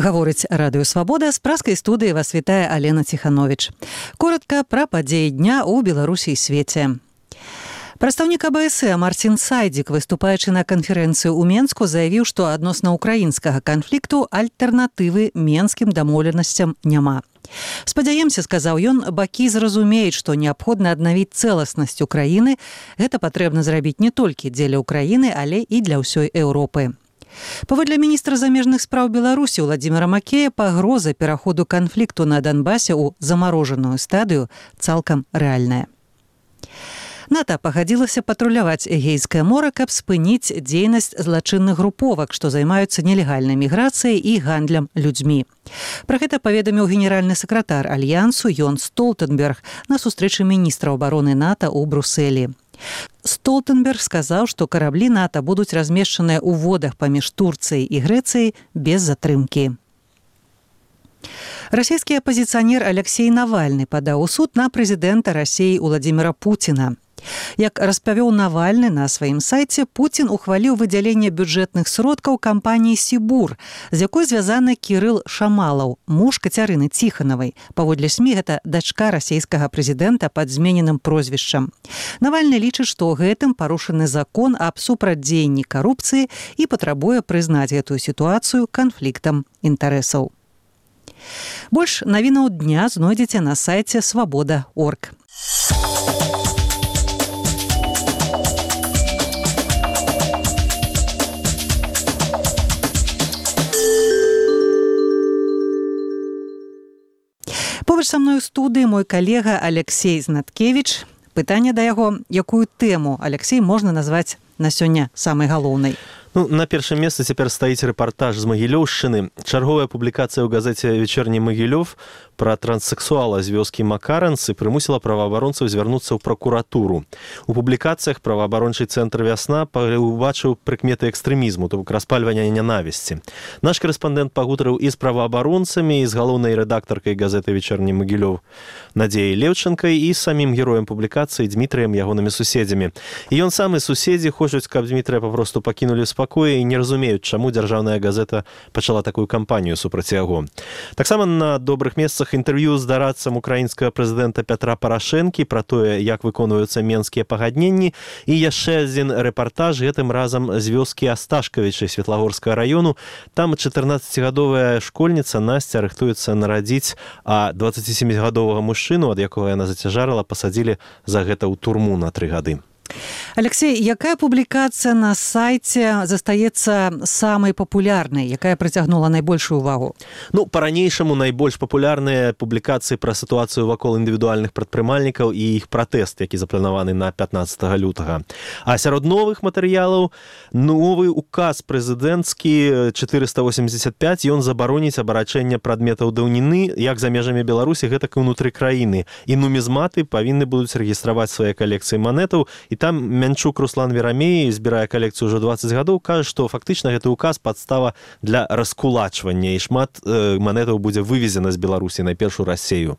Гаворыць Радыё Свабода, з праскай студыі вас вітае Алена Ціхановіч. Коротка пра падзеі дня ў Беларусі і свеце. Прадстаўнік АБС Марцін Сайдзік, выступаючы на канферэнцыю ў Менску, заявіў, што адносна ўкраінскага канфлікту альтэрнатывы менскім дамоўленасцям няма. Спадзяемся, сказаў ён, бакі зразумеюць, што неабходна аднавіць цэласнасць Украіны. Гэта патрэбна зрабіць не толькі дзеля Украіны, але і для ўсёй Еўропы. Паводле міністра замежных спраў Беларусі Владзіміра Макея, пагроза пераходу канфлікту на Донбасе ў замарожаную стадыю цалкам рэальная. НАТО пагадзілася патруляваць Эгейскае мора, каб спыніць дзейнасць злачынных груповак, што займаюцца нелегальнай міграцыяй і гандлем людзьмі. Пра гэта паведаміў генеральны сакратар Альянсу Йенс Столтенберг на сустрэчы міністра абароны НАТО ў Брусэлі. Столтенберг сказаў, што караблі НАТО будуць размешчаныя ў водах паміж Турцыяй і Грэцыяй без затрымкі. Расійскі апазіцыянер Алексей Навальны падаў у суд на прэзідэнта Расіі Владзіміра Пуціна. Як распавёў Навальны на сваім сайце, Пуцін ухваліў выдзяленне бюджэтных сродкаў кампаніі «Сібур», з якой звязаны Кірыл Шамалаў, муж Кацярыны Ціханавай. Паводле СМІ, гэта дачка расійскага прэзідэнта пад змененым прозвішчам. Навальны лічыць, што гэтым парушаны закон аб супрацьдзеянні карупцыі і патрабуе прызнаць гэтую сітуацыю канфліктам інтарэсаў. Больш навінаў дня знойдзеце на сайце свабода.орг. Побач са мной у студыі мой калега Алексей Знаткевіч. Пытанне да яго, якую тэму, Алексей, можна назваць на сёння самай галоўнай? На першым месцы цяпер стаіць рэпартаж з Магілёўшчыны. Чарговая публікацыя ў газеце «Вечерні Магілёв» пра транссексуала з вёскі Макаранцы прымусіла праваабаронцаў звярнуцца ў пракуратуру. У публікацыях праваабарончы цэнтр «Вясна» убачыў прыкметы экстрэмізму, то бок распальвання нянавісці. Наш карэспандэнт пагутарыў і з праваабаронцамі, і з галоўнай рэдактаркай газеты «Вечерні Магілёв» Надзеяй Леўчанкай і самім героем публікацыі Дмітрыем, ягонымі суседзямі. І ён сам і суседзі хочуць, каб Дмітрыя папросту пакінулі спакоі і не разумеюць, чаму дзяржаўная газета пачала такую кампанію супраць яго. Таксама на добрых месцах інтэрв'ю з дарадцам украінскага прэзідэнта Пятра Парашэнкі пра тое, як выконваюцца менскія пагадненні, і яшчэ адзін рэпартаж, гэтым разам з вёскі Асташкавічы Светлагорскага раёну. Там 14-гадовая школьніца Насця рыхтуецца нарадзіць, а 27-гадовага мужчыну, ад якога яна зацяжарыла, пасадзілі за гэта ў турму на 3 гады. Алексей, якая публікацыя на сайце застаецца самай папулярнай, якая прыцягнула найбольшую увагу? Па-ранейшаму найбольш папулярныя публікацыі пра сітуацыю вакол індывідуальных прадпрымальнікаў і іх пратэст, які запланаваны на 15 лютага. А сярод новых матэрыялаў новы указ прэзідэнцкі 485, ён забароніць абарачэнне прадметаў даўніны як за межамі Беларусі, гэтак і ўнутры краіны. І нумізматы павінны будуць рэгістраваць свае калекцыі манетаў. І там Мянчук Руслан Верамей збірае калекцыю ўжо 20 гадоў, кажа, што фактычна гэты указ падстава для раскулачвання, і шмат манетаў будзе вывезена з Беларусі найперш у Расею.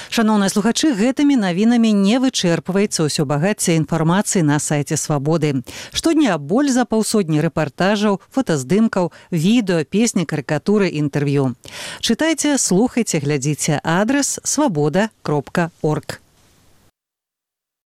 Шаноўныя слухачы, гэтымі навінамі не вычэрпваецца ўсё багацце інфармацыі на сайце Свабоды. Штодня больш за паўсотні рэпартажаў, фотаздымкаў, відэа, песні, карыкатуры, інтэрв'ю. Чытайце, слухайце, глядзіце. Адрас свабода.орг.